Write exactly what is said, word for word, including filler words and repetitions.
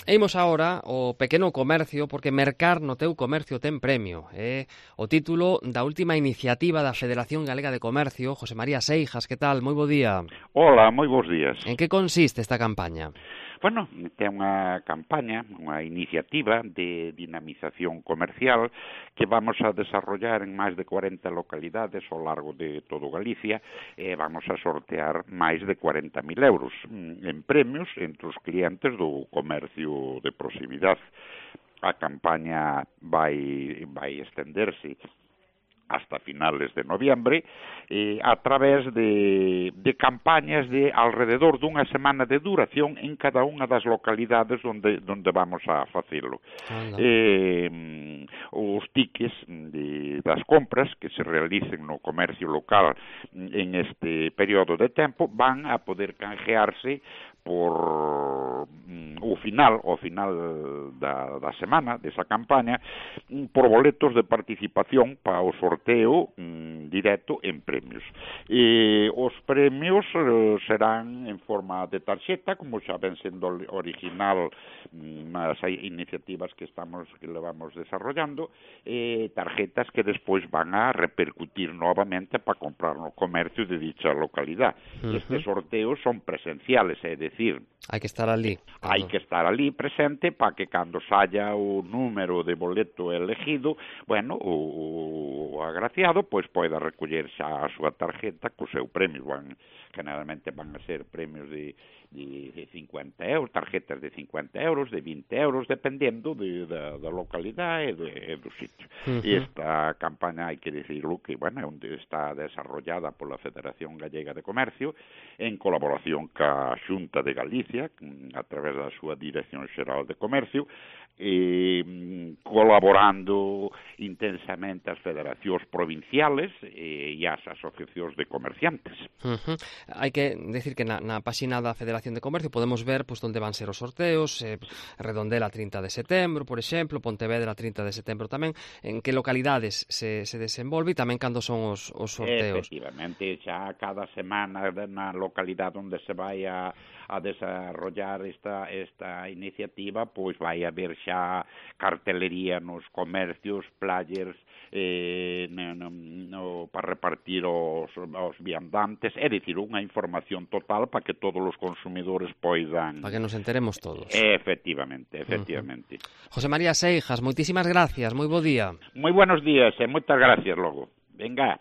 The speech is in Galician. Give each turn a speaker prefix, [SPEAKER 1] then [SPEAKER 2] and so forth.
[SPEAKER 1] E imos agora ao pequeno comercio, porque mercar no teu comercio ten premio. É o título da última iniciativa da Federación Galega de Comercio. José María Seijas, que tal? Moi bo día.
[SPEAKER 2] Hola, moi bons días.
[SPEAKER 1] En que consiste esta campaña?
[SPEAKER 2] Bueno, ten unha campaña, unha iniciativa de dinamización comercial que vamos a desarrollar en máis de cuarenta localidades ao largo de todo Galicia e vamos a sortear máis de cuarenta mil euros en premios entre os clientes do comercio de proximidade. A campaña vai, vai estenderse hasta finales de noviembre, eh, a través de, de campañas de alrededor dunha semana de duración en cada unha das localidades onde, onde vamos a facelo. Eh, os tickets de, das compras que se realicen no comercio local en este período de tempo van a poder canjearse por o final, o final da, da semana, desa campaña, por boletos de participación para o sorteo mm, directo en premios. E os premios eh, serán en forma de tarxeta, como xa ven sendo original nas mm, iniciativas que estamos que levamos desarrollando, eh, tarjetas que despois van a repercutir novamente para comprar no comercio de dicha localidade. Uh-huh. Estes sorteos son presenciales, é decir,
[SPEAKER 1] hai que estar ali.
[SPEAKER 2] Hai que estar ali presente para que cando saia o número de boleto elegido, bueno, o, o agraciado pois poida recoller xa a súa tarjeta co seu premio. Van, generalmente van a ser premios de, de cincuenta euros, tarjetas de cincuenta euros, de vinte euros, dependendo de, da, da localidade e, de, e do sitio. Uh-huh. E esta campaña, hai que decirlo, que, bueno, é onde está desarrollada pola Federación Gallega de Comercio en colaboración ca Xunta de Galicia, a través da súa Dirección Xeral de Comercio, e colaborando intensamente as federacións provinciales e as asociacións de comerciantes.
[SPEAKER 1] Uh-huh. Hai que decir que na, na páxina da Federación de Comercio podemos ver pues, onde van ser os sorteos, eh, Redondela trinta de setembro, por exemplo, Pontevedra trinta de setembro tamén, en que localidades se, se desenvolve e tamén cando son os, os sorteos.
[SPEAKER 2] Efectivamente, xa cada semana na localidade onde se vai a, a desarrollar esta, esta iniciativa, pois vai haber xa cartelería nos comercios, players, eh, no, no, no, para repartir os, os viandantes, é dicir, unha información total para que todos os consumidores poidan...
[SPEAKER 1] Para que nos enteremos todos.
[SPEAKER 2] Efectivamente, efectivamente.
[SPEAKER 1] Uh-huh. José María Seijas, moitísimas gracias, moi bo día.
[SPEAKER 2] Moi buenos días e moitas gracias logo. Venga.